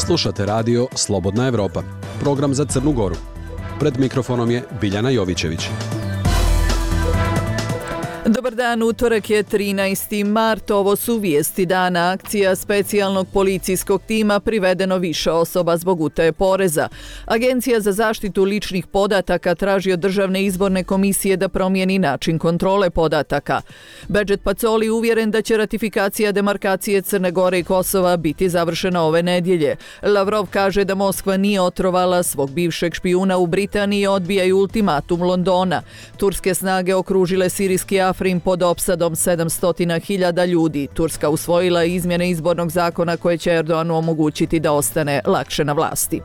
Slušate radio Slobodna Evropa, program za Crnu Goru. Pred mikrofonom je Biljana Jovićević. Dobar dan, utorak je 13. mart, ovo su vijesti dana. Akcija specijalnog policijskog tima, privedeno više osoba zbog utaje poreza. Agencija za zaštitu ličnih podataka traži od Državne izborne komisije da promijeni način kontrole podataka. Bedžet Pacoli uvjeren da će ratifikacija demarkacije Crne Gore i Kosova biti završena ove nedjelje. Lavrov kaže da Moskva nije otrovala svog bivšeg špijuna u Britaniji i odbijaju ultimatum Londona. Turske snage okružile sirijski Afrin pod opsadom 700.000 ljudi. Turska usvojila izmjene izbornog zakona koje će Erdoganu omogućiti da ostane lakše na vlasti.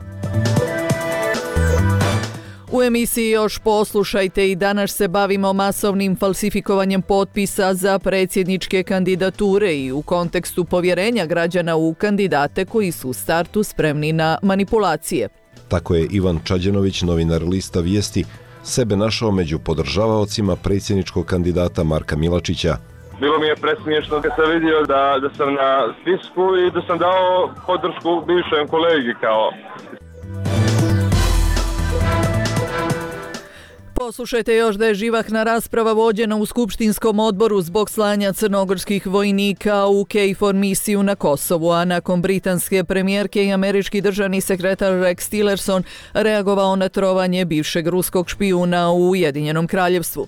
U emisiji još poslušajte i danas se bavimo masovnim falsifikovanjem potpisa za predsjedničke kandidature i u kontekstu povjerenja građana u kandidate koji su u startu spremni na manipulacije. Tako je Ivan Čađenović, novinar lista Vijesti, sebe našao među podržavaocima predsjedničkog kandidata Marka Milačića. Bilo mi je presmiješno kad sam vidio da sam na spisku i da sam dao podršku bivšem kolegi kao. Poslušajte još da je živahna rasprava vođena u Skupštinskom odboru zbog slanja crnogorskih vojnika u KFOR misiju na Kosovu, a nakon britanske premijerke i američki državni sekretar Rex Tillerson reagovao na trovanje bivšeg ruskog špijuna u Ujedinjenom Kraljevstvu.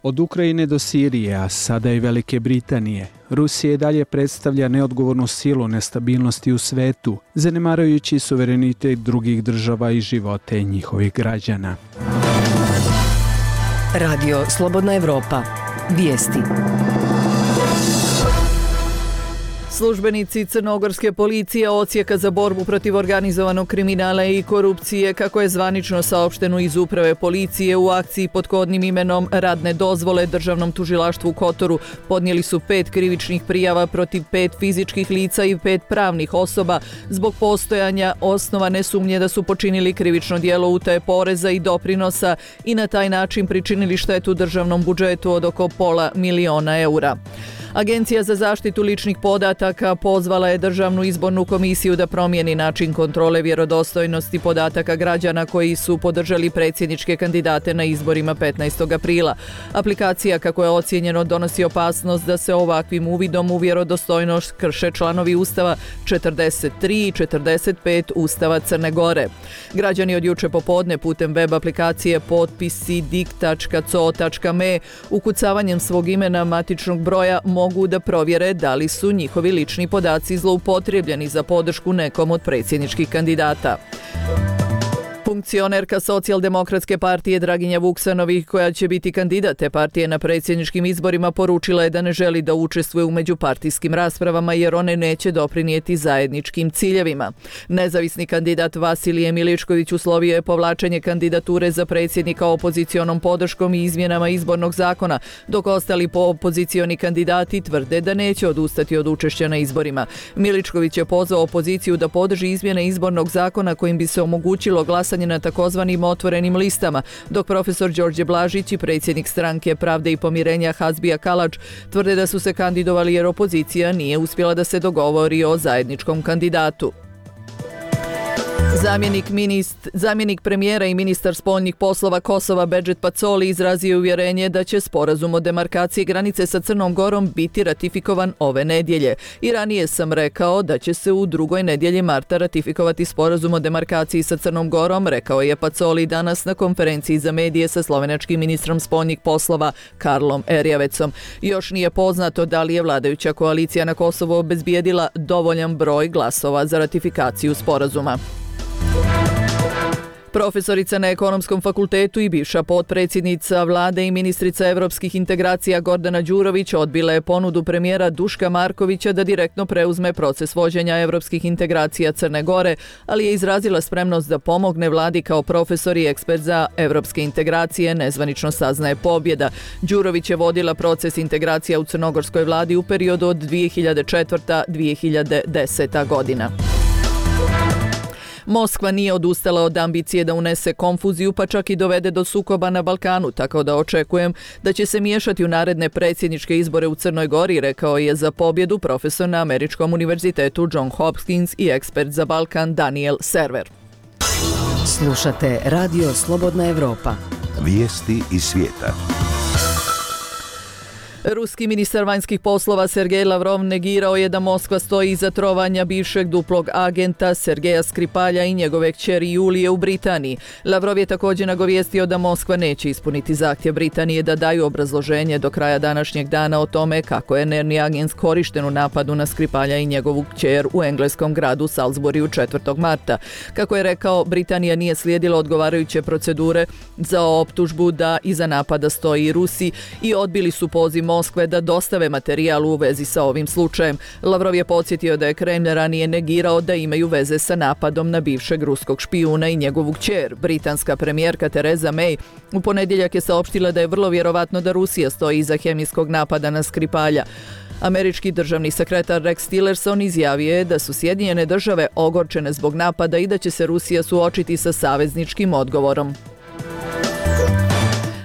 Od Ukrajine do Sirije, a sada i Velike Britanije, Rusija i dalje predstavlja neodgovornu silu nestabilnosti u svetu, zanemarujući suverenitet drugih država i živote njihovih građana. Radio Slobodna Evropa. Vijesti. Službenici crnogorske policije Odsjeka za borbu protiv organizovanog kriminala i korupcije, kako je zvanično saopšteno iz uprave policije, u akciji pod kodnim imenom Radne dozvole Državnom tužilaštvu u Kotoru podnijeli su 5 krivičnih prijava protiv 5 fizičkih lica i 5 pravnih osoba zbog postojanja osnovane sumnje da su počinili krivično djelo utaje poreza i doprinosa i na taj način pričinili štetu državnom budžetu od oko $500.000 eura. Agencija za zaštitu ličnih podataka pozvala je Državnu izbornu komisiju da promijeni način kontrole vjerodostojnosti podataka građana koji su podržali predsjedničke kandidate na izborima 15. aprila. Aplikacija, kako je ocijenjeno, donosi opasnost da se ovakvim uvidom u vjerodostojnost krše članovi Ustava 43 i 45 Ustava Crne Gore. Građani od juče popodne putem web aplikacije potpisi.dik.co.me ukucavanjem svog imena, matičnog broja, mogu da provjere da li su njihovi lični podaci zloupotrijebljeni za podršku nekom od predsjedničkih kandidata. Funkcionerka Socijaldemokratske partije Draginja Vuksanović, koja će biti kandidat te partije na predsjedničkim izborima, poručila je da ne želi da učestvuje u međupartijskim raspravama jer one neće doprinijeti zajedničkim ciljevima. Nezavisni kandidat Vasilije Miličković uslovio je povlačenje kandidature za predsjednika opozicionom podrškom i izmjenama izbornog zakona, dok ostali opozicioni kandidati tvrde da neće odustati od učešća na izborima. Miličković je pozvao opoziciju da podrži izmjene izbornog zakona kojim bi se omogućilo glasanje na takozvanim otvorenim listama, dok profesor Đorđe Blažić i predsjednik stranke Pravde i pomirenja Hazbija Kalač tvrde da su se kandidovali jer opozicija nije uspjela da se dogovori o zajedničkom kandidatu. Zamjenik premijera i ministar spoljnih poslova Kosova Bedžet Pacoli izrazio uvjerenje da će sporazum o demarkaciji granice sa Crnom Gorom biti ratifikovan ove nedjelje. I ranije sam rekao da će se u drugoj nedjelji marta ratifikovati sporazum o demarkaciji sa Crnom Gorom, rekao je Pacoli danas na konferenciji za medije sa slovenačkim ministrom spoljnih poslova Karlom Erjavecom. Još nije poznato da li je vladajuća koalicija na Kosovu obezbijedila dovoljan broj glasova za ratifikaciju sporazuma. Profesorica na Ekonomskom fakultetu i bivša potpredsjednica vlade i ministrica evropskih integracija Gordana Đurović odbila je ponudu premijera Duška Markovića da direktno preuzme proces vođenja evropskih integracija Crne Gore, ali je izrazila spremnost da pomogne vladi kao profesor i ekspert za evropske integracije, nezvanično saznaje Pobjeda. Đurović je vodila proces integracija u crnogorskoj vladi u periodu od 2004-2010. godina. Moskva nije odustala od ambicije da unese konfuziju, pa čak i dovede do sukoba na Balkanu, tako da očekujem da će se miješati u naredne predsjedničke izbore u Crnoj Gori, rekao je za pobjedu profesor na Američkom univerzitetu John Hopkins i ekspert za Balkan Daniel Server. Slušate Radio Slobodna Evropa. Vijesti iz svijeta. Ruski ministar vanjskih poslova Sergej Lavrov negirao je da Moskva stoji iza trovanja bivšeg duplog agenta Sergeja Skripalja i njegove kćeri Julije u Britaniji. Lavrov je također nagovijestio da Moskva neće ispuniti zahtjev Britanije da daju obrazloženje do kraja današnjeg dana o tome kako je nervni agent korišten u napadu na Skripalja i njegovu kćer u engleskom gradu Salisburyu 4. marta. Kako je rekao, Britanija nije slijedila odgovarajuće procedure za optužbu da iza napada stoji i Rusi i odbili su poziv Moskve da dostave materijal u vezi sa ovim slučajem. Lavrov je podsjetio da je Kremlj ranije negirao da imaju veze sa napadom na bivšeg ruskog špijuna i njegovu kćer. Britanska premijerka Theresa May u ponedjeljak je saopštila da je vrlo vjerovatno da Rusija stoji iza hemijskog napada na Skripalja. Američki državni sekretar Rex Tillerson izjavio je da su Sjedinjene države ogorčene zbog napada i da će se Rusija suočiti sa savezničkim odgovorom.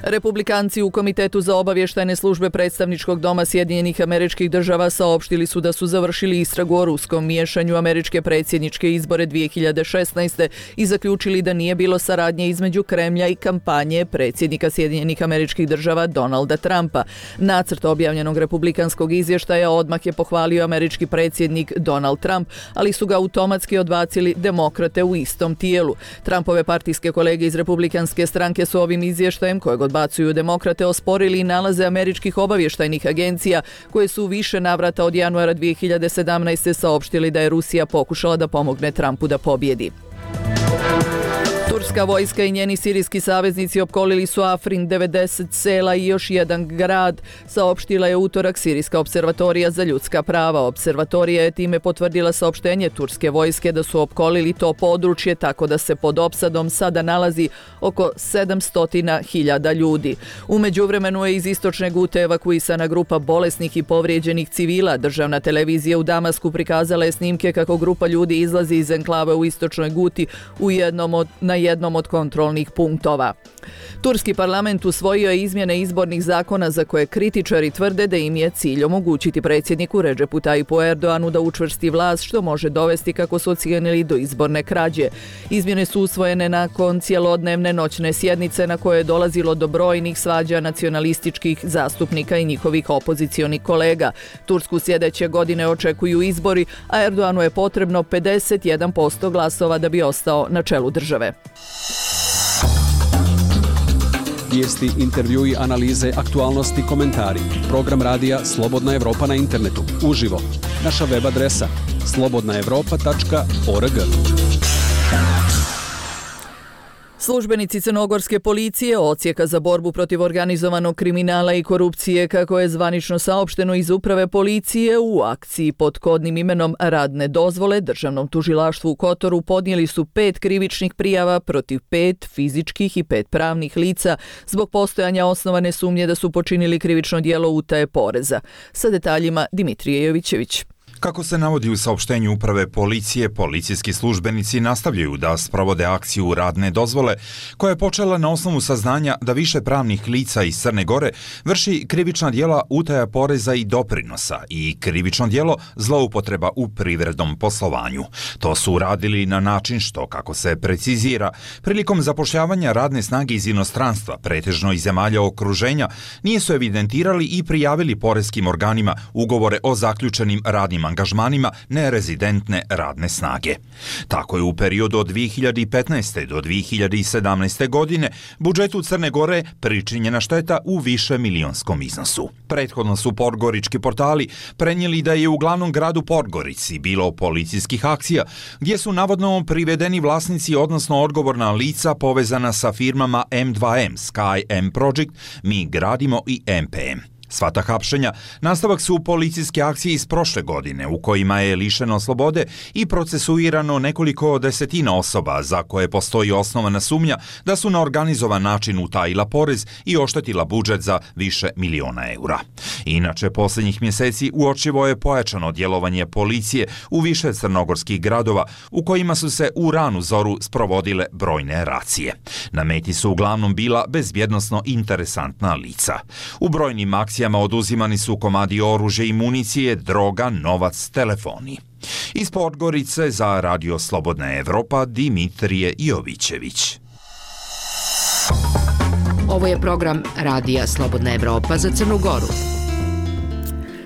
Republikanci u Komitetu za obavještajne službe predstavničkog doma Sjedinjenih Američkih Država saopštili su da su završili istragu o ruskom miješanju američke predsjedničke izbore 2016. i zaključili da nije bilo saradnje između Kremlja i kampanje predsjednika Sjedinjenih Američkih Država Donalda Trumpa. Nacrt objavljenog republikanskog izvještaja odmah je pohvalio američki predsjednik Donald Trump, ali su ga automatski odbacili demokrate u istom tijelu. Trumpove partijske kolege iz republikanske stranke su ovim izvještajem, kojeg odbacuju demokrate, osporili i nalaze američkih obavještajnih agencija koje su u više navrata od januara 2017. saopštili da je Rusija pokušala da pomogne Trumpu da pobjedi. Turska vojska i njeni sirijski saveznici opkolili su Afrin, 90 sela i još jedan grad, saopštila je utorak Sirijska observatorija za ljudska prava. Observatorija je time potvrdila saopštenje turske vojske da su opkolili to područje, tako da se pod opsadom sada nalazi oko 700.000 ljudi. U međuvremenu je iz istočne Gute evakuisana grupa bolesnih i povrijeđenih civila. Državna televizija u Damasku prikazala je snimke kako grupa ljudi izlazi iz enklave u istočnoj Guti na jednom od kontrolnih punktova. Turski parlament usvojio je izmjene izbornih zakona za koje kritičari tvrde da im je cilj omogućiti predsjedniku Redžepu Tajipu Erdoanu da učvrsti vlast, što može dovesti, kako su ocijenili, do izborne krađe. Izmjene su usvojene nakon cjelodnevne noćne sjednice na koje je dolazilo do brojnih svađa nacionalističkih zastupnika i njihovih opozicionih kolega. Tursku sljedeće godine očekuju izbori, a Erdoanu je potrebno 51% glasova da bi ostao na čelu države. Vijesti, intervjui, analize, aktualnosti, komentari. Program radija Slobodna Evropa na internetu. Uživo. Naša web adresa slobodnaevropa.org. Službenici crnogorske policije Odsjeka za borbu protiv organizovanog kriminala i korupcije, kako je zvanično saopšteno iz uprave policije, u akciji pod kodnim imenom Radne dozvole Državnom tužilaštvu u Kotoru podnijeli su 5 krivičnih prijava protiv 5 fizičkih i 5 pravnih lica zbog postojanja osnovane sumnje da su počinili krivično djelo utaje poreza. Sa detaljima Dimitrije Jovićević. Kako se navodi u saopštenju uprave policije, policijski službenici nastavljaju da sprovode akciju Radne dozvole, koja je počela na osnovu saznanja da više pravnih lica iz Crne Gore vrši krivična djela utaja poreza i doprinosa i krivično djelo zloupotreba u privrednom poslovanju. To su uradili na način što, kako se precizira, prilikom zapošljavanja radne snage iz inostranstva, pretežno iz zemalja okruženja, nisu evidentirali i prijavili poreskim organima ugovore o zaključenim radnim angažmanima nerezidentne radne snage. Tako je u periodu od 2015. do 2017. godine budžetu Crne Gore pričinjena šteta u više milionskom iznosu. Prethodno su podgorički portali prenijeli da je u glavnom gradu Podgorici bilo policijskih akcija gdje su navodno privedeni vlasnici, odnosno odgovorna lica povezana sa firmama M2M, Sky M Project, Mi gradimo i MPM. Sva ta hapšenja nastavak su policijske akcije iz prošle godine u kojima je lišeno slobode i procesuirano nekoliko desetina osoba za koje postoji osnovana sumnja da su na organizovan način utajila porez i oštetila budžet za više miliona eura. Inače, posljednjih mjeseci uočivo je pojačano djelovanje policije u više crnogorskih gradova u kojima su se u ranu zoru sprovodile brojne racije. Na meti su uglavnom bila bezbjednosno interesantna lica. U brojnim akcijama oduzimani su komadi oružja i municije, droga, novac, telefoni. Iz Podgorice za Radio Slobodna Evropa Dimitrije Jovićević. Ovo je program Radija Slobodna Evropa za Crnu Goru.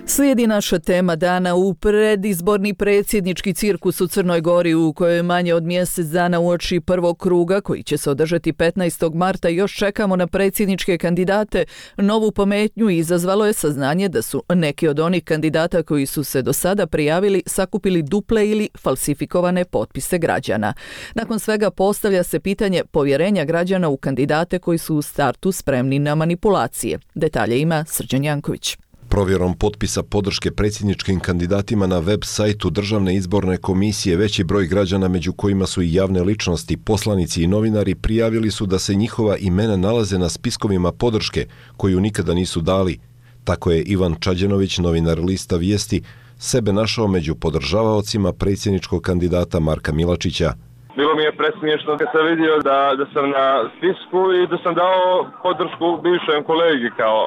Slijedi naša tema dana u predizborni predsjednički cirkus u Crnoj Gori u kojoj manje od mjesec dana uoči prvog kruga koji će se održati 15. marta još čekamo na predsjedničke kandidate. Novu pometnju izazvalo je saznanje da su neki od onih kandidata koji su se do sada prijavili sakupili duple ili falsifikovane potpise građana. Nakon svega postavlja se pitanje povjerenja građana u kandidate koji su u startu spremni na manipulacije. Detalje ima Srđan Janković. Provjerom potpisa podrške predsjedničkim kandidatima na web sajtu Državne izborne komisije veći broj građana, među kojima su i javne ličnosti, poslanici i novinari, prijavili su da se njihova imena nalaze na spiskovima podrške koju nikada nisu dali. Tako je Ivan Čađenović, novinar lista Vijesti, sebe našao među podržavaocima predsjedničkog kandidata Marka Milačića. Bilo mi je presmiješno kad sam vidio da sam na spisku i da sam dao podršku bivšem kolegi kao.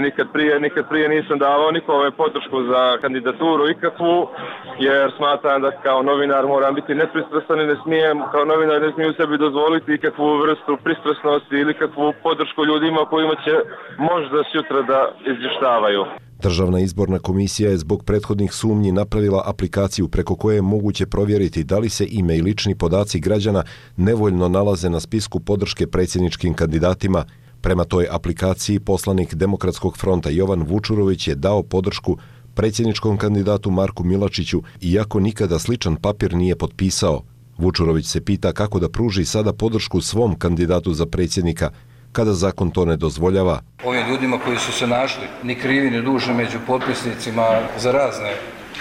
Nikad prije nisam davao nikome podršku za kandidaturu ikakvu, jer smatram da kao novinar moram biti nepristrasan i ne smijem, kao novinar ne smijem sebi dozvoliti ikakvu vrstu pristrasnosti ili kakvu podršku ljudima kojima će možda sutra da izvještavaju. Državna izborna komisija je zbog prethodnih sumnji napravila aplikaciju preko koje je moguće provjeriti da li se ime i lični podaci građana nevoljno nalaze na spisku podrške predsjedničkim kandidatima. Prema toj aplikaciji poslanik Demokratskog fronta Jovan Vučurović je dao podršku predsjedničkom kandidatu Marku Milačiću, iako nikada sličan papir nije potpisao. Vučurović se pita kako da pruži sada podršku svom kandidatu za predsjednika, kada zakon to ne dozvoljava. Ovim ljudima koji su se našli, ni krivi ni dužni među potpisnicima za razne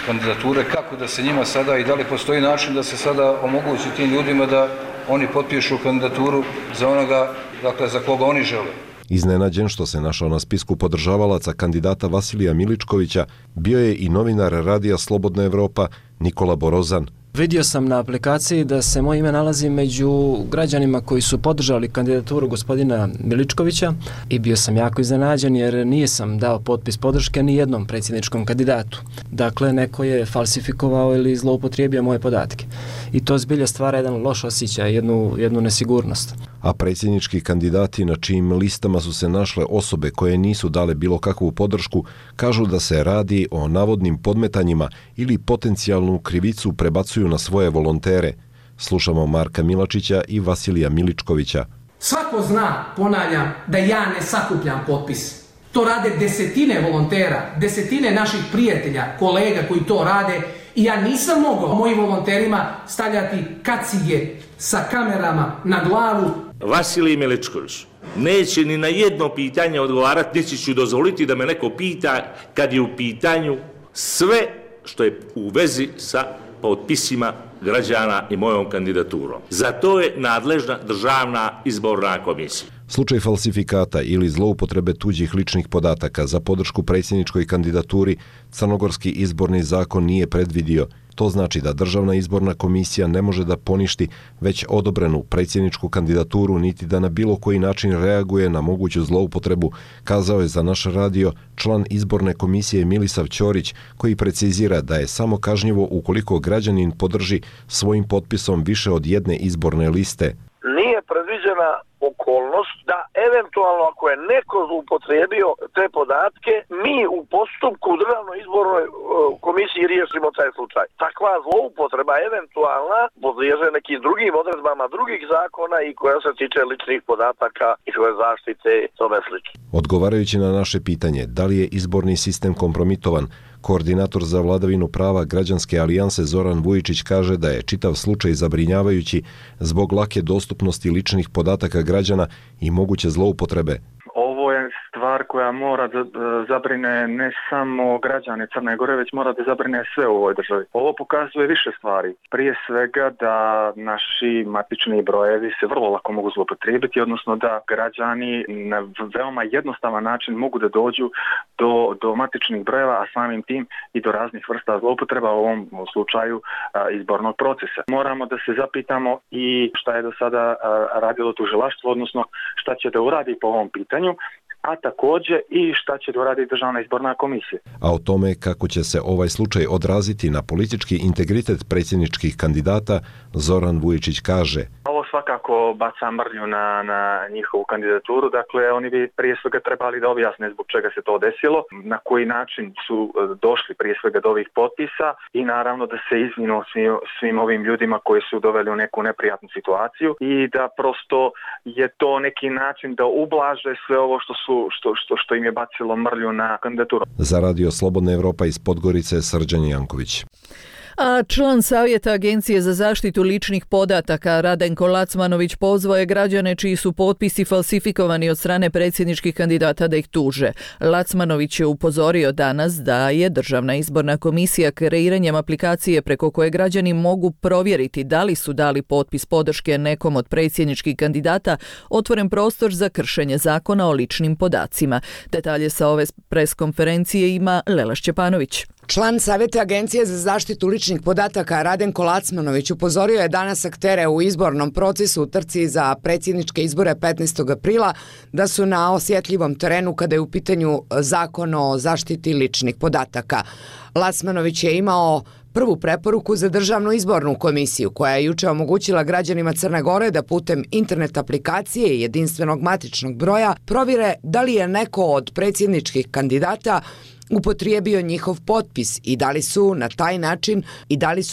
kandidature, kako da se njima sada i da li postoji način da se sada omogući tim ljudima da oni potpišu kandidaturu za onoga, dakle, za koga oni žele. Iznenađen što se našao na spisku podržavalaca kandidata Vasilija Miličkovića, bio je i novinar Radija Slobodna Evropa Nikola Borozan. Vidio sam na aplikaciji da se moje ime nalazi među građanima koji su podržali kandidaturu gospodina Miličkovića i bio sam jako iznenađen jer nisam dao potpis podrške ni jednom predsjedničkom kandidatu. Dakle, neko je falsifikovao ili zloupotrijebio moje podatke. I to zbilja stvara jedan loš osjećaj, jednu nesigurnost. A predsjednički kandidati na čijim listama su se našle osobe koje nisu dale bilo kakvu podršku, kažu da se radi o navodnim podmetanjima ili potencijalnu krivicu prebacuju na svoje volontere. Slušamo Marka Milačića i Vasilija Miličkovića. Svako zna, ponavljam, da ja ne sakupljam potpis. To rade desetine volontera, desetine naših prijatelja, kolega koji to rade i ja nisam mogao mojim volonterima stavljati kacige sa kamerama na glavu. Vasilij Miličković neće ni na jedno pitanje odgovarati, niti ću dozvoliti da me neko pita kad je u pitanju sve što je u vezi sa potpisima građana i mojom kandidaturom. Za to je nadležna Državna izborna komisija. Slučaj falsifikata ili zloupotrebe tuđih ličnih podataka za podršku predsjedničkoj kandidaturi Crnogorski izborni zakon nije predvidio. To znači da Državna izborna komisija ne može da poništi već odobrenu predsjedničku kandidaturu niti da na bilo koji način reaguje na moguću zloupotrebu, kazao je za naš radio član izborne komisije Milisav Ćorić, koji precizira da je samo kažnjivo ukoliko građanin podrži svojim potpisom više od jedne izborne liste. Nije predviđena okolnost da eventualno ako je neko zloupotrijebio te podatke, mi u postupku u Državnoj izbornoj komisiji riješimo taj slučaj. Takva zloupotreba eventualna podliježe nekim drugim odredbama drugih zakona i koja se tiče ličnih podataka i svoje zaštite i tome slično. Odgovarajući na naše pitanje da li je izborni sistem kompromitovan, koordinator za vladavinu prava Građanske alijanse Zoran Vujičić kaže da je čitav slučaj zabrinjavajući zbog lake dostupnosti ličnih podataka građana i moguće zloupotrebe. Ovo je stvar stvar koja mora da zabrine ne samo građane Crne Gore, već mora da zabrine sve u ovoj državi. Ovo pokazuje više stvari. Prije svega da naši matični brojevi se vrlo lako mogu zloupotrijebiti, odnosno da građani na veoma jednostavan način mogu da dođu do matičnih brojeva, a samim tim i do raznih vrsta zloupotreba u ovom slučaju izbornog procesa. Moramo da se zapitamo i šta je do sada radilo tužilaštvo, odnosno šta će da uradi po ovom pitanju, a također i šta će da uradi Državna izborna komisija. A o tome kako će se ovaj slučaj odraziti na politički integritet predsjedničkih kandidata, Zoran Vujičić kaže: Ovo svakako baca mrlju na njihovu kandidaturu, dakle oni bi prije svega trebali da objasne zbog čega se to desilo, na koji način su došli prije svega do ovih potpisa i naravno da se izvinu svim ovim ljudima koji su doveli u neku neprijatnu situaciju i da prosto je to neki način da ublaže sve ovo što im je bacilo mrlju na kandidaturu. Za Radio Slobodna Evropa iz Podgorice, Srđan Janković. A član Savjeta Agencije za zaštitu ličnih podataka Radenko Lacmanović pozvao je građane čiji su potpisi falsifikovani od strane predsjedničkih kandidata da ih tuže. Lacmanović je upozorio danas da je Državna izborna komisija kreiranjem aplikacije preko koje građani mogu provjeriti da li su dali potpis podrške nekom od predsjedničkih kandidata otvoren prostor za kršenje zakona o ličnim podacima. Detalje sa ove preskonferencije ima Lela Šćepanović. Član Savjeta Agencije za zaštitu ličnih podataka Radenko Lacmanović upozorio je danas aktere u izbornom procesu u trci za predsjedničke izbore 15. aprila da su na osjetljivom terenu kada je u pitanju zakon o zaštiti ličnih podataka. Lacmanović je imao prvu preporuku za Državnu izbornu komisiju koja je juče omogućila građanima Crne Gore da putem internet aplikacije i jedinstvenog matičnog broja provjere da li je neko od predsjedničkih kandidata upotrijebio njihov potpis i da li su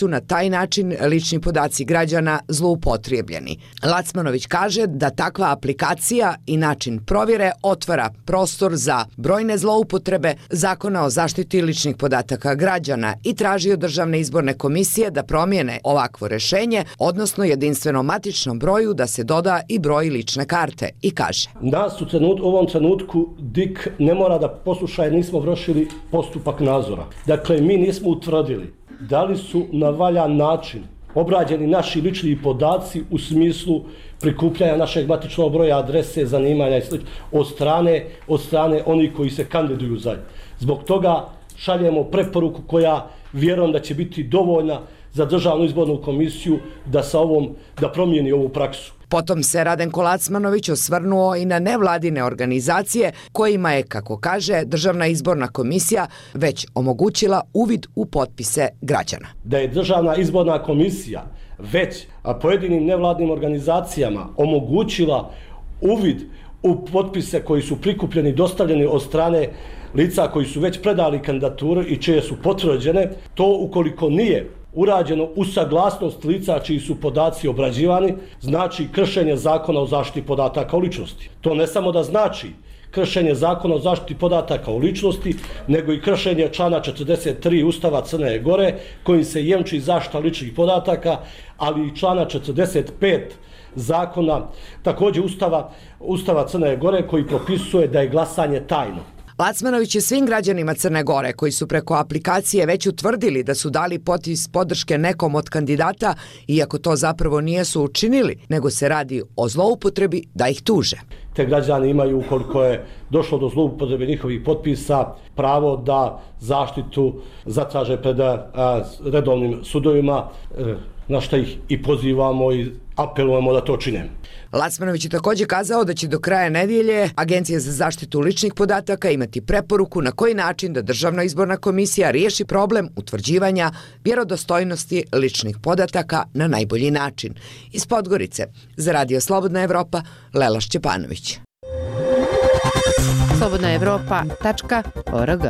na taj način lični podaci građana zloupotrijebljeni. Lacmanović kaže da takva aplikacija i način provjere otvara prostor za brojne zloupotrebe zakona o zaštiti ličnih podataka građana i traži od Državne izborne komisije da promijene ovakvo rješenje, odnosno jedinstvenom matičnom broju da se doda i broj lične karte i kaže: Nas u ovom trenutku DIK ne mora da posluša jer nismo vršili postupak nadzora. Dakle, mi nismo utvrdili da li su na valjan način obrađeni naši lični podaci u smislu prikupljanja našeg matičnog broja, adrese, zanimanja i sl. od strane onih koji se kandiduju za. Zbog toga šaljemo preporuku koja vjerujem da će biti dovoljna za Državnu izbornu komisiju da promijeni ovu praksu. Potom se Radenko Lacmanović osvrnuo i na nevladine organizacije kojima je, kako kaže, Državna izborna komisija već omogućila uvid u potpise građana. Da je Državna izborna komisija već pojedinim nevladnim organizacijama omogućila uvid u potpise koji su prikupljeni i dostavljeni od strane lica koji su već predali kandidaturu i čije su potvrđene, to ukoliko nije urađeno uz saglasnost lica čiji su podaci obrađivani, znači kršenje zakona o zaštiti podataka o ličnosti. To ne samo da znači kršenje zakona o zaštiti podataka o ličnosti, nego i kršenje člana 43 Ustava Crne Gore, kojim se jemči zaštita ličnih podataka, ali i člana 45 zakona, također Ustava Crne Gore, koji propisuje da je glasanje tajno. Lacmanović je svim građanima Crne Gore koji su preko aplikacije već utvrdili da su dali potpis podrške nekom od kandidata, iako to zapravo nisu učinili, nego se radi o zloupotrebi, da ih tuže. Te građani imaju, ukoliko je došlo do zloupotrebe njihovih potpisa, pravo da zaštitu zatraže pred redovnim sudovima, na što ih i pozivamo i apelujemo da to čine. Lacmanović je također kazao da će do kraja nedjelje Agencija za zaštitu ličnih podataka imati preporuku na koji način da Državna izborna komisija riješi problem utvrđivanja vjerodostojnosti ličnih podataka na najbolji način. Iz Podgorice, za Radio Slobodna Evropa, Lela Šćepanović. slobodnaevropa.org.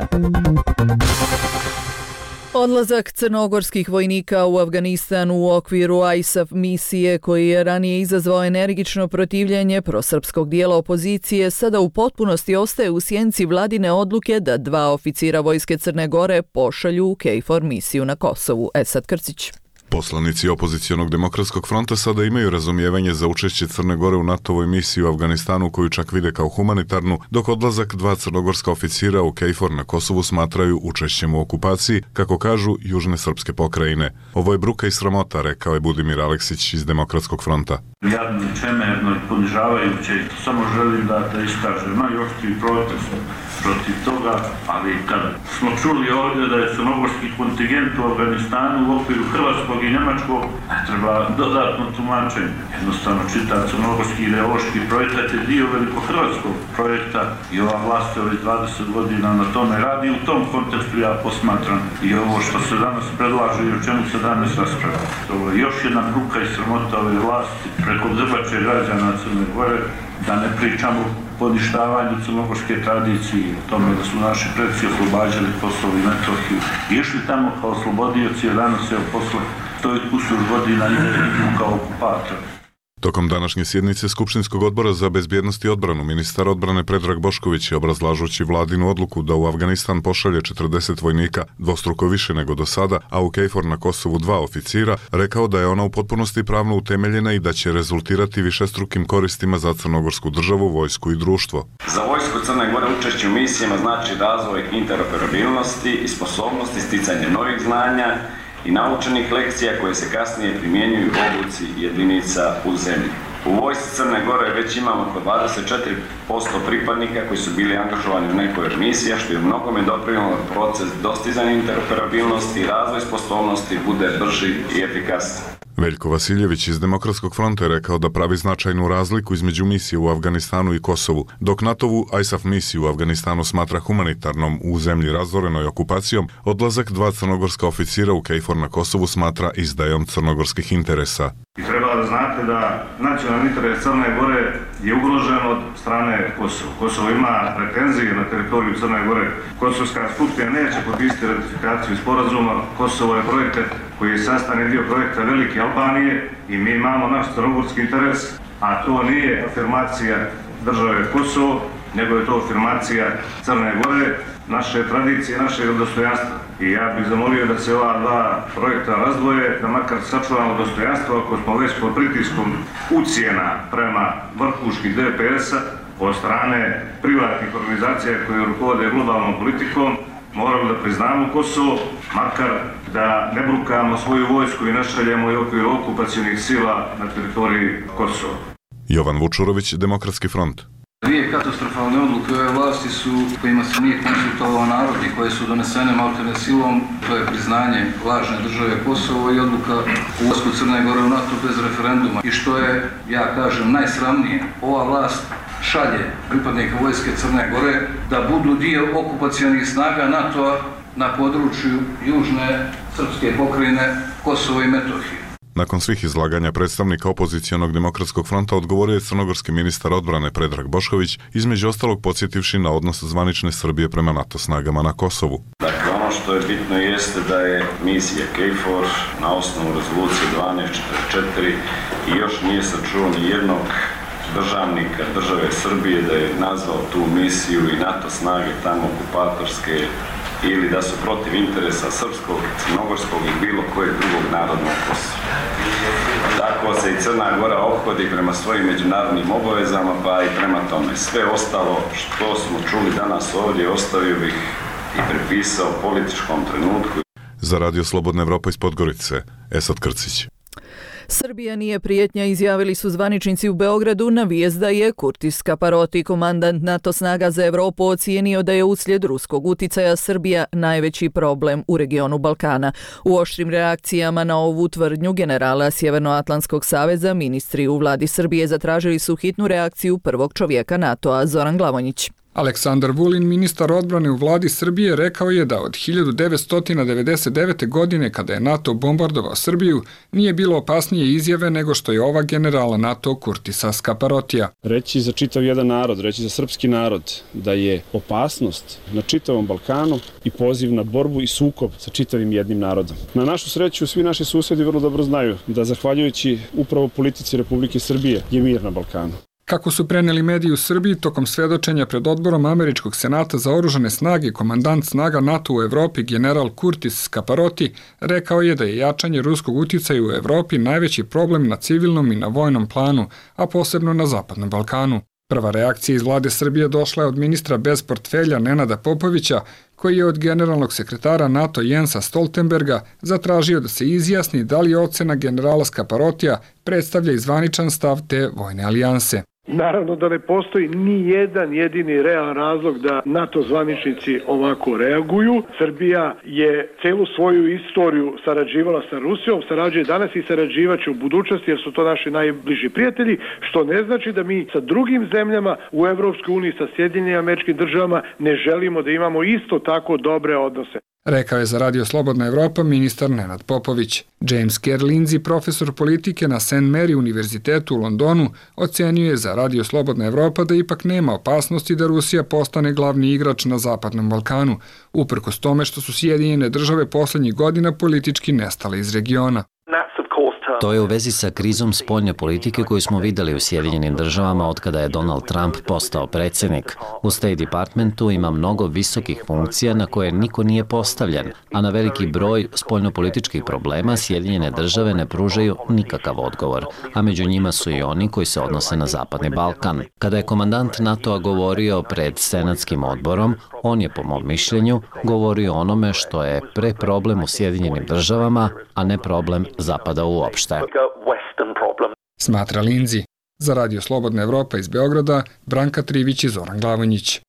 Odlazak crnogorskih vojnika u Afganistan u okviru ISAF misije, koji je ranije izazvao energično protivljenje prosrpskog dijela opozicije, sada u potpunosti ostaje u sjenci vladine odluke da 2 oficira vojske Crne Gore pošalju u KFOR misiju na Kosovu. Esad Krcić. Poslanici opozicionog demokratskog fronta sada imaju razumijevanje za učešće Crne Gore u NATO-voj misiji u Afganistanu koju čak vide kao humanitarnu, dok odlazak 2 crnogorska oficira u KFOR na Kosovu smatraju učešćem u okupaciji, kako kažu južne srpske pokrajine. Ovo je bruka i sramota, rekao je Budimir Aleksić iz Demokratskog fronta. Jadno, čemerno i ponižavajuće, samo želim da iskažem najoštriji protest protiv toga, ali kad smo čuli ovdje da je crnogorski kontingent u Afganistanu u okviru hrvatskog i njemačkog, ne treba dodatno tumačenje. Jednostavno čitav crnogorski ideološki projekat je dio veliko-hrvatskog projekta i ova vlast je ovih 20 godina na tome radi. U tom kontekstu ja posmatram i ovo što se danas predlaže i o čemu se danas raspravlja. To je još jedna bruka i sramota ove vlasti preko grbače građana Crne Gore, da ne pričamo poništavanju crnogorske tradicije, o tome da su naši predci oslobađali Kosovo i Metohiju. Išli tamo kao oslobodioci, a danas je posle 100 kusur godina idu kao okupator. Tokom današnje sjednice Skupštinskog odbora za bezbjednost i odbranu ministar odbrane Predrag Bošković je obrazlažući vladinu odluku da u Afganistan pošalje 40 vojnika, dvostruko više nego do sada, a u KFOR na Kosovu 2 oficira, rekao da je ona u potpunosti pravno utemeljena i da će rezultirati višestrukim koristima za crnogorsku državu, vojsku i društvo. Za vojsku Crne Gore učešće u misijama znači razvoj interoperabilnosti i sposobnosti sticanja novih znanja i naučenih lekcija koje se kasnije primjenjuju u obuci jedinica u zemlji. U vojsci Crne Gore već imamo oko 24% pripadnika koji su bili angažovani u nekoj od misija, što je u mnogome doprinijelo proces dostizanja interoperabilnosti i razvoj sposobnosti bude brži i efikasniji. Veljko Vasiljević iz Demokratskog fronta je rekao da pravi značajnu razliku između misije u Afganistanu i Kosovu, dok NATO-vu ISAF misiju u Afganistanu smatra humanitarnom u zemlji razorenoj okupacijom, odlazak 2 crnogorska oficira u KFOR na Kosovu smatra izdajom crnogorskih interesa. I treba da znate da nacionalni interes Crne Gore je ugrožen od strane Kosova. Kosovo ima pretenzije na teritoriju Crne Gore. Kosovska skupština neće potpisati ratifikaciju sporazuma. Kosovo je projekat koji je sastavni dio projekta Velike Albanije i mi imamo naš crnogorski interes, a to nije afirmacija države Kosovo, nego je to afirmacija Crne Gore, naše tradicije, našeg dostojanstva. I ja bih zamolio da se ova 2 projekta razdvoje, da makar sačuvamo dostojanstvo ako smo već pod pritiskom ucjena prema vrhuških DPS-a od strane privatnih organizacija koje rukovode globalnom politikom. Moramo da priznamo Kosovo, makar da ne brukamo svoju vojsku i ne šaljemo i okviru okupacionih sila na teritoriji Kosova. Jovan Vučurović, Demokratski front. 2 katastrofalne odluke ove vlasti su kojima se nije konsultovao narod i koje su donesene maltene silom, to je priznanje lažne države Kosovo i odluka u ulasku Crne Gore u NATO bez referenduma. I što je, ja kažem, najsramnije, ova vlast šalje pripadnika vojske Crne Gore da budu dio okupacionih snaga NATO-a na području južne srpske pokrajine Kosovo i Metohije. Nakon svih izlaganja predstavnika opozicionog Demokratskog fronta odgovorio je crnogorski ministar odbrane Predrag Bošković, između ostalog podsjetivši na odnos zvanične Srbije prema NATO snagama na Kosovu. Dakle, ono što je bitno jeste da je misija KFOR na osnovu rezolucije 1244 i još nije se čuo ni jednog državnika države Srbije da je nazvao tu misiju i NATO snage tamo okupatorske ili da su protiv interesa srpskog, crnogorskog i bilo kojeg drugog narodnog Kosova. Tako se i Crna Gora ophodi prema svojim međunarodnim obavezama, pa i prema tome. Sve ostalo što smo čuli danas ovdje ostavio bih i prepisao političkom trenutku. Za Radio Slobodna Evropa iz Podgorice, Esad Krcić. Srbija nije prijetnja, izjavili su zvaničnici u Beogradu na vijest da je Kurtis Kaparoti, komandant NATO snaga za Evropu, ocijenio da je uslijed ruskog uticaja Srbija najveći problem u regionu Balkana. U oštrim reakcijama na ovu tvrdnju generala Sjevernoatlantskog saveza ministri u vladi Srbije zatražili su hitnu reakciju prvog čovjeka NATO-a, Zoran Glavonjić. Aleksandar Vulin, ministar odbrane u vladi Srbije, rekao je da od 1999. godine, kada je NATO bombardovao Srbiju, nije bilo opasnije izjave nego što je ova generala NATO Kurtisa Skaparotija. Reći za čitav jedan narod, reći za srpski narod, da je opasnost na čitavom Balkanu i poziv na borbu i sukob sa čitavim jednim narodom. Na našu sreću, svi naši susjedi vrlo dobro znaju da zahvaljujući upravo politici Republike Srbije je mir na Balkanu. Kako su preneli mediji u Srbiji, tokom svedočenja pred odborom Američkog senata za oružane snage, komandant snaga NATO u Evropi general Curtis Scaparotti rekao je da je jačanje ruskog uticaja u Evropi najveći problem na civilnom i na vojnom planu, a posebno na Zapadnom Balkanu. Prva reakcija iz vlade Srbije došla je od ministra bez portfelja Nenada Popovića, koji je od generalnog sekretara NATO Jensa Stoltenberga zatražio da se izjasni da li ocena generala Scaparottija predstavlja i zvaničan stav te vojne alijanse. Naravno da ne postoji ni jedan jedini realan razlog da NATO zvaničnici ovako reaguju. Srbija je celu svoju istoriju sarađivala sa Rusijom, sarađuje danas i sarađivaće u budućnosti jer su to naši najbliži prijatelji, što ne znači da mi sa drugim zemljama u Evropskoj uniji, sa Sjedinjenim Američkim Državama ne želimo da imamo isto tako dobre odnose. Rekao je za Radio Slobodna Evropa ministar Nenad Popović. James Kerr Lindsay, profesor politike na St. Mary univerzitetu u Londonu, ocenio je za Radio Slobodna Evropa da ipak nema opasnosti da Rusija postane glavni igrač na Zapadnom Balkanu, uprkos tome što su Sjedinjene Države poslednjih godina politički nestale iz regiona. To je u vezi sa krizom spoljne politike koju smo videli u Sjedinjenim Državama od kada je Donald Trump postao predsjednik. U State Departmentu ima mnogo visokih funkcija na koje niko nije postavljen, a na veliki broj spoljnopolitičkih problema Sjedinjene Države ne pružaju nikakav odgovor, a među njima su i oni koji se odnose na Zapadni Balkan. Kada je komandant NATO-a govorio pred Senatskim odborom, on je, po mom mišljenju, govorio o onome što je problem u Sjedinjenim Državama, a ne problem Zapada uopšte. Smatra Lindsay. Za Radio Slobodna Evropa iz Beograda, Branka Trivić i Zoran Glavonjić.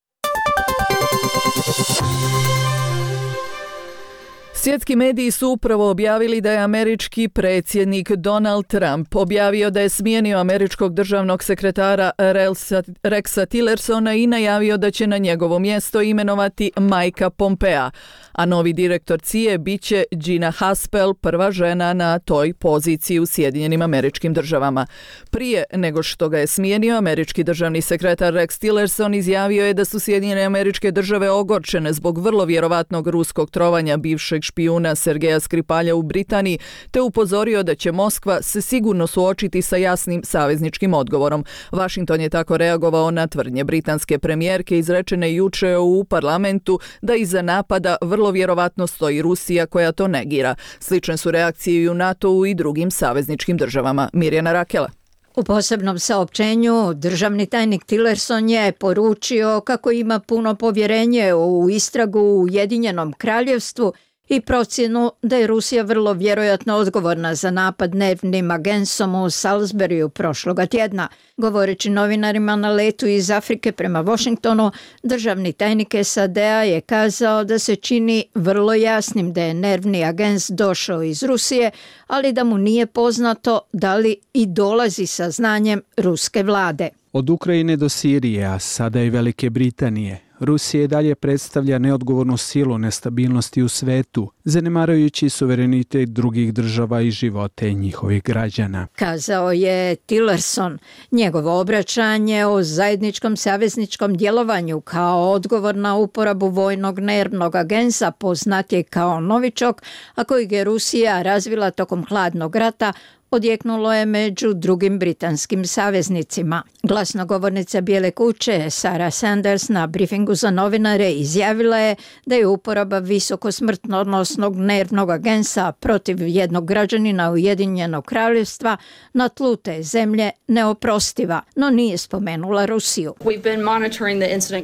Svjetski mediji su upravo objavili da je američki predsjednik Donald Trump objavio da je smijenio američkog državnog sekretara Rexa Tillersona i najavio da će na njegovo mjesto imenovati Mikea Pompea, a novi direktor CIA biće Gina Haspel, prva žena na toj poziciji u Sjedinjenim Američkim Državama. Prije nego što ga je smijenio, američki državni sekretar Rex Tillerson izjavio je da su Sjedinjene Američke Države ogorčene zbog vrlo vjerovatnog ruskog trovanja bivšeg špijuna Sergeja Skripalja u Britaniji, te upozorio da će Moskva se sigurno suočiti sa jasnim savezničkim odgovorom. Washington je tako reagovao na tvrdnje britanske premijerke izrečene juče u parlamentu da iza napada vrlo vjerovatno stoji Rusija koja to negira. Slične su reakcije i u NATO-u i drugim savezničkim državama. Mirjana Rakela. U posebnom saopćenju državni tajnik Tillerson je poručio kako ima puno povjerenje u istragu u Ujedinjenom Kraljevstvu i procjenu da je Rusija vrlo vjerojatno odgovorna za napad dnevnim agensom u Salisburyu prošloga tjedna. Govoreći novinarima na letu iz Afrike prema Washingtonu, državni tajnik SAD-a je kazao da se čini vrlo jasnim da je nervni agens došao iz Rusije, ali da mu nije poznato da li i dolazi sa znanjem ruske vlade. Od Ukrajine do Sirije, a sada i Velike Britanije, Rusija i dalje predstavlja neodgovornu silu nestabilnosti u svetu, zanemarujući suverenitet drugih država i živote njihovih građana. Kazao je Tillerson. Njegovo obraćanje o zajedničkom savezničkom djelovanju kao odgovor na uporabu vojnog nervnog agensa poznat je kao novičok, a kojeg je Rusija razvila tokom hladnog rata, odjeknulo je među drugim britanskim saveznicima. Glasnogovornica Bijele kuće Sarah Sanders na briefingu za novinare izjavila je da je uporaba visoko smrtonosnog nervnog agensa protiv jednog građanina Ujedinjenog Kraljevstva na tlu te zemlje neoprostiva, no nije spomenula Rusiju.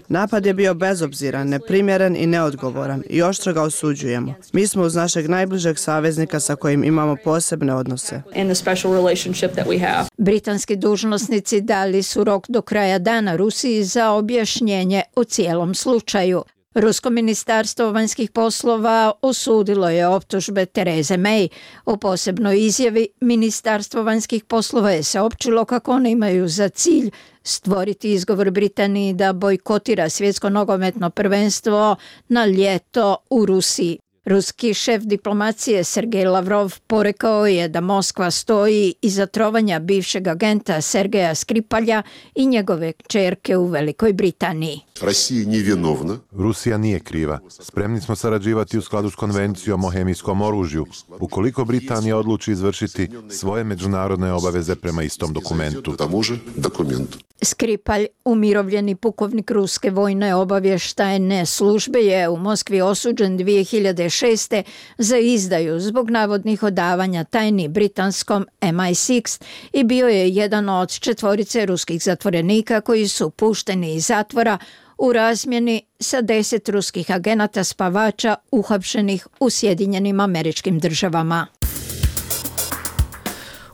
Napad je bio bezobziran, neprimjeren i neodgovoran i oštro ga osuđujemo. Mi smo uz našeg najbližeg saveznika sa kojim imamo posebne odnose. Britanski dužnosnici dali su rok do kraja dana Rusiji za objašnjenje o cijelom slučaju. Rusko ministarstvo vanjskih poslova osudilo je optužbe Tereze May. U posebnoj izjavi Ministarstvo vanjskih poslova je saopćilo kako one imaju za cilj stvoriti izgovor Britaniji da bojkotira svjetsko nogometno prvenstvo na ljeto u Rusiji. Ruski šef diplomacije Sergej Lavrov porekao je da Moskva stoji iza trovanja bivšeg agenta Sergeja Skripalja i njegove kćerke u Velikoj Britaniji. Rusija nije kriva. Spremni smo sarađivati u skladu s konvencijom o hemijskom oružju, ukoliko Britanija odluči izvršiti svoje međunarodne obaveze prema istom dokumentu. Skripalj, umirovljeni pukovnik ruske vojne obavještajne službe, je u Moskvi osuđen 2006. za izdaju zbog navodnih odavanja tajni britanskom MI6 i bio je jedan od 4 ruskih zatvorenika koji su pušteni iz zatvora u razmjeni sa 10 ruskih agenata spavača uhapšenih u Sjedinjenim Američkim Državama.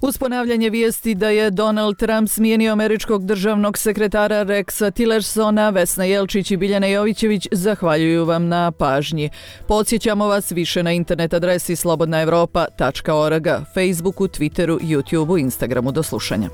Uz ponavljanje vijesti da je Donald Trump smijenio američkog državnog sekretara Rexa Tillersona, Vesna Jelčić i Biljana Jovićević zahvaljuju vam na pažnji. Podsjećamo vas više na internet adresi slobodnaevropa.org, Facebooku, Twitteru, YouTubeu, Instagramu. Do slušanja.